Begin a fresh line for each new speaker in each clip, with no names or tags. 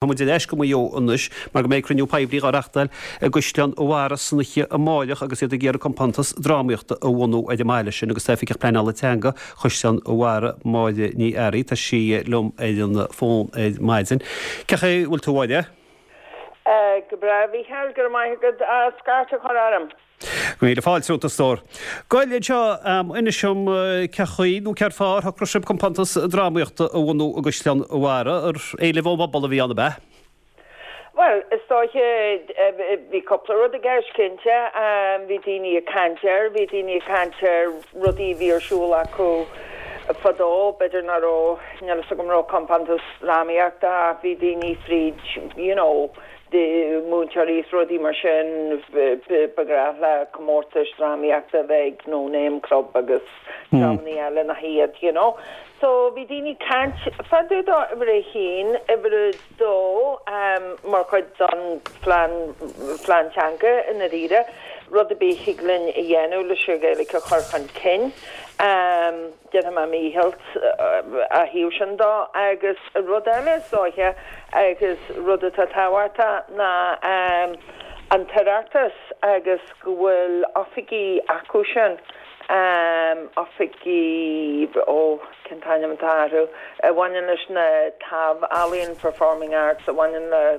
Tá muid ar ais go Maigh Eo anois mar go mbeidh cruinniú poiblí á reachtáil i gCaisleán an Bharraigh san oíche amáireach agus iad ag iarraidh compántas drámaíochta a bhunú ar an mbaile sin agus tá Oifigeach Pleanála Teanga Chaisleán an Bharraigh, Máire Ní Fhearraigh, tá sí liom ar an bhfón ar maidin. Cén chaoi a bhfuil tú a Mháire?
Go breá, a Mhícheáil, go raibh maith agat as cairt a chur orm.
Míle fáilte romhat a stór. Gabh anseo, inis dom cén chaoi nó céard fáth ar shocraigh sibh compántas drámaíochta a bhunú i gCaisleán an Bharraigh, ar éileamh ón bpobal a bhí ann, ab ea?
Bhuel, is dóiche, bhí cúpla rud i gceist, cinnte. Bhí daoine ag caint air, bhí daoine ag caint ar rudaí a bhí ar siúl acu fadó, b'fhéidir nach raibh, níl a fhios agam an raibh compántas drámaíochta ach bhí daoine fríd, you know, de mhúinteoirí is rudaí mar sin, ba ghnách le comórtais drámaíochta a bheith ag No Name Club agus dreamannaí eile nach iad, you know. So bhí daoine ag caint fá dtaobh dó, uimhir a haon, uimhir a dó, mar chuid don phlean, phlean teanga i ndáiríre, rud ar bith a thig linn a dhéanamh leis an Ghaeilge a chur chun cinn. Déanfaidh mé mo dhícheall á thaobh sin dó. Agus rud eile is dóiche, agus rud atá tábhachtach, ná an tOireachtas agus go bhfuil oifigí acu sin, oifigí, ó, cén t-ainm atá orthu, a bhaineann leis na taibh-ealaíon, performing arts, a bhaineann le,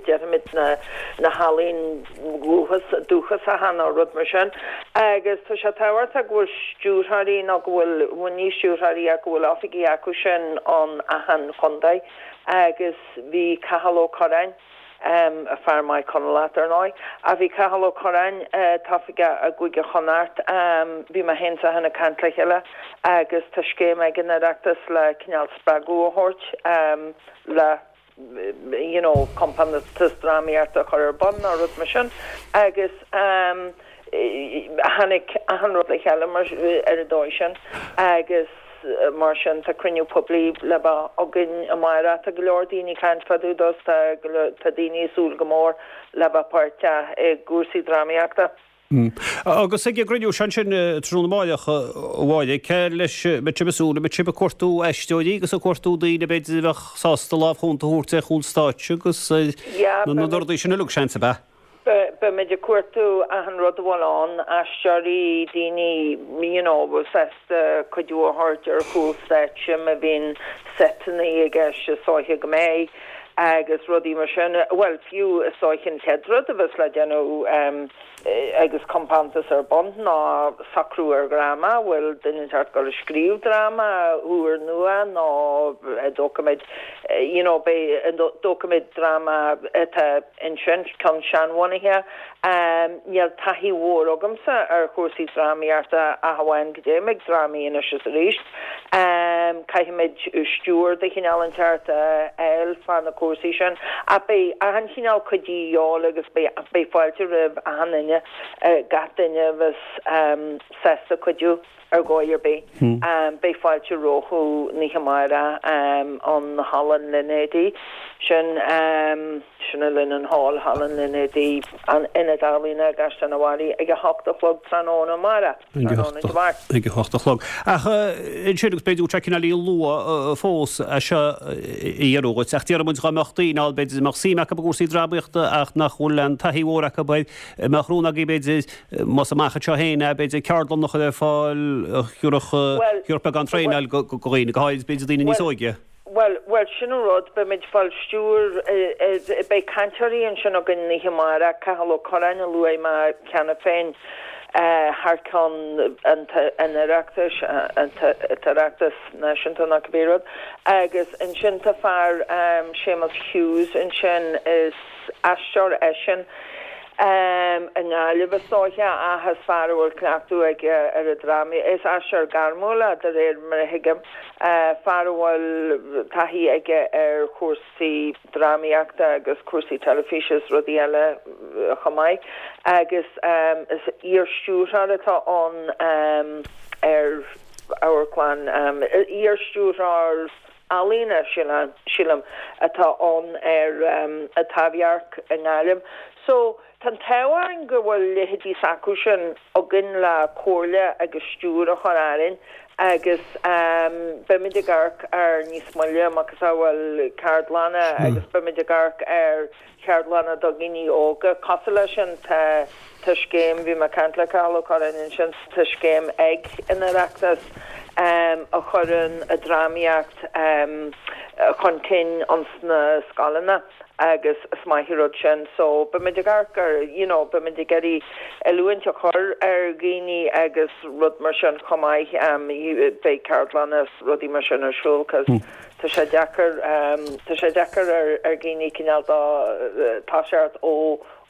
déarfaimid, na healaíon dúchasacha nó rud mar sin. Agus tá sé tábhachtach go bhfuil stiúrthóirí nó go bhfuil, bhuel ní stiúrthóirí ach go bhfuil oifigí acu sin in achan chontae agus bhí Cathal Ó Curráin, fear maith Conallach dar ndóigh, ach bhí Cathal Ó Curráin atá oifigeach i gCúige Chonnacht, bhí mé féin is eisean ag caint le chéile agus tá scéim ag an Oireachtas le cineál spreagadh a thabhairt le you know, compántas drámaíochta a chur ar bun nó rud mar sin agus tháinig achan rud le chéile mar, ar an dóigh sin agus mar sin tá cruinniú poiblí le bheith againn amárach. Tá go leor daoine ag caint fá dtaobh dó tá, tá daoine ag súil go mór le bheith páirteach i gcúrsaí drámaíochta.
Agus ag an gcruinniú seo ansin tráthnóna amáireach, a Mháire, cé leis a mbeidh sibh ag súil? An mbeidh sibh ag cuartú aisteoirí agus ag cuartú daoine b'fhéidir a bheadh sásta lámh chúnta a thabhairt ar chúl stáitse agus na rudaí sin uilig, seans, ab ea?
Beimid ag cuartú achan rud a bhfuil ann, aisteoirí, daoine you know, a bhfuil sásta cuidiú a thabhairt ar chúl stáitse má bhíonn seiteanna i gceist is dóiche go mbeidh agus rudaí mar sin. Bhuel, fiú is dóiche an chéad rud a bheas le déanamh agus compántas ar bun ná socrú ar dhráma, bhfuil duine inteacht ag dul ag scríobh dráma úr nua nó an dtógfaimid you know beidh an dtógfaimid dráma atá ansin, ceann seanbhunaithe. Níl taithí mhór agamsa ar chúrsaí drámaíochta ach amháin go dtéim ag drámaí anois is arís. Caithfimid stiúir de chineál inteacht a fháil fá na cúrsaí sin. Ach beidh achan chineál cuidiú de dhíobháil agus beidh fáilte roimh achan duine, gach duine a bheas sásta cuidiú. Ar dhóigh ar bith, beidh fáilte rompu an oíche amárach ann Halla an Línéadaigh. Sin, sin an Linen Hall, Halla an Línéadaigh, an Ionad Ealaíona i gCaisleán an Bharraigh ag a hocht a chlog tráthnóna amárach, tráthnóna Dé Máirt.
Ag a hocht a chlog. Ach ansin, agus b'fhéidir go bhfuil sé cineáilín luath fós é seo a iarraidh dhuit, ach déarfaidh muid dá mbeadh daoine ann, b'fhéidir, a mbeadh suim acu i gcúrsaí drámaíochta ach nach bhfuil aon taithí mhór acu air, an mbeadh rún agaibh b'fhéidir, Más amach anseo féin é, b'fhéidir ceardlann a chur ar fáil a thabharfadh beagán traenáil do dhaoine, go háirid b'fhéidir daoine níos óige.
Bhuel, bhuel, sin an rud, beimid ag fáil stiúir, beidh cainteoirí ansin againn an oíche amárach, Cathal Ó Curráin a luaigh mé cheana féin, thar ceann an Oireachtais, an tOireachtas Náisiúnta nó cibé rud, agus ansin tá fear, Séamus Hughes ansin, is aisteoir eisean i nGaillimh is dóiche ach is fear a bhfuil cleachtadh aige ar an drámaíocht. Is aisteoir gairmiúil é de réir mar a thuigim, fear a bhfuil taithí aige ar chúrsaí drámaíochta agus cúrsaí teilifíse is rudaí eile chomh maith agus is iar-stiúrthóir atá ann ar amharclann, iar-stiúrthóir ealaíne, sílim, atá ann ar an Taibhdhearc i nGaillimh. So, tá an t-ádh orainn go bhfuil leithéidí s'acu sin againn le comhairle agus stiúir a chur orainn. Agus beimid ag amharc ar níos moille, macasamhail ceardlanna agus beimid ag amharc ar cheardlanna do dhaoine óga. Cosúil leis sin, tá tá scéim, bhí mé ag caint le Cathal Ó Curráin ansin, tá scéim ag an Oireachtas a chuireann an drámaíocht chun cinn ins na scoileanna. agus is maith an rud sin. So, beimid ag amharc ar, you know, beimid ag iarraidh oiliúint a chur ar dhaoine agus rud mar sin chomh maith. Beidh ceardlanna is rudaí mar sin ar siúl cos tá sé deacair, tá sé deacair ar ar dhaoine cineál de toiseacht ó,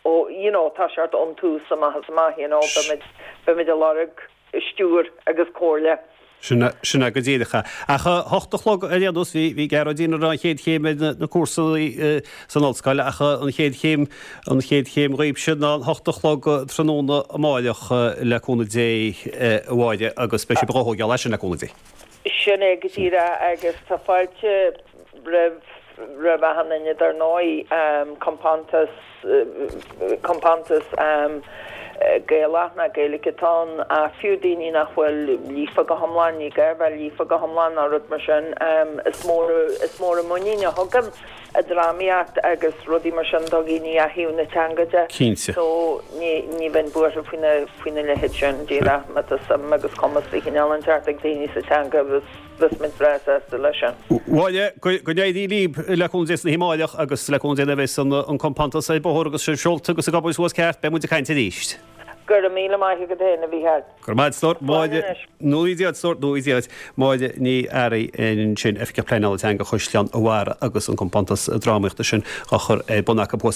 ó, you know, toiseacht ón tús amach is amach, you know, beimid, beimid ag lorg stiúir
agus comhairle. Sin é go díreach é. Ach a hocht a chlog ar aon nós, bhí bhí Gearóidín ag rá an chéad chéim ar na cúrsaí san ollscoil ach an chéad chéim, an chéad chéim dhaoibhse ná an hocht a chlog tráthnóna amáireach le cúnamh Dé a Mháire agus beidh sibh á thógáil as sin le cúnamh
Dé. Sin é go díreach agus tá fáilte roimh roimh achan duine dar ndóigh, compántas, compántas Gaelach nó Gaeilge atá ann ach fiú daoine nach bhfuil líofa go hiomlán, ní gá a bheith líofa go hiomlán ná rud mar sin, is mór, is mór an muinín a thugann an drámaíocht agus rudaí mar sin do dhaoine ó thaobh na teanga de.
Cinnte.
So ní, ní bheinn buartha faoina, faoina leithéid sin, díreach má tá suim agus cumas de chineál inteacht ag daoine sa teanga agus. Bheadh muid breá sásta leis sin.
Mháire, go n-éirí libh le cúnamh Dé san oíche amáireach agus le cúnamh Dé nuair a bheas an compántas ar bóthar agus sibh seolta agus ag obair suas ceart, beidh muid ag caint arís.
Go raibh míle maith agat féin, a Mhícheáil.
Go raibh maith agat, a stór. Máire, Nuaí Dia duit, a stór, Nuaí Dia duit. Máire Ní Fhearraigh ansin, Oifigeach Pleanála Teanga Chaisleán an Bharraigh agus an compántas drámaíochta sin á chur ar bun acu thuas.